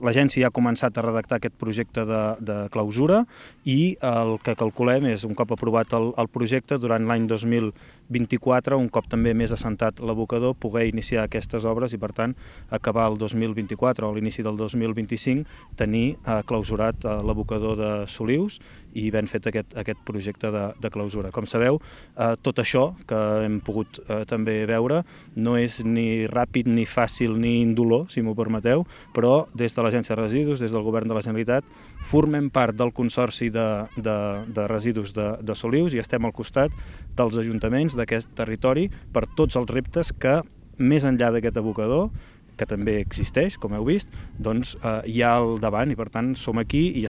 l'agència ja ha començat a redactar aquest projecte de clausura i el que calculem és, un cop aprovat el projecte, durant l'any 2024, un cop també més assentat l'abocador, poder iniciar aquestes obres i, per tant, acabar el 2024 o l'inici del 2025 tenir clausurat l'abocador de Solius i ben fet aquest projecte de clausura. Com sabeu, tot això que hem pogut també veure no és ni ràpid, ni fàcil, ni indolor, si m'ho permeteu, però des de l'Agència de Residus, des del Govern de la Generalitat, formem part del Consorci de Residus de Solius i estem al costat dels ajuntaments d'aquest territori per tots els reptes que, més enllà d'aquest abocador, que també existeix, com heu vist, doncs hi ha al davant i, per tant, som aquí i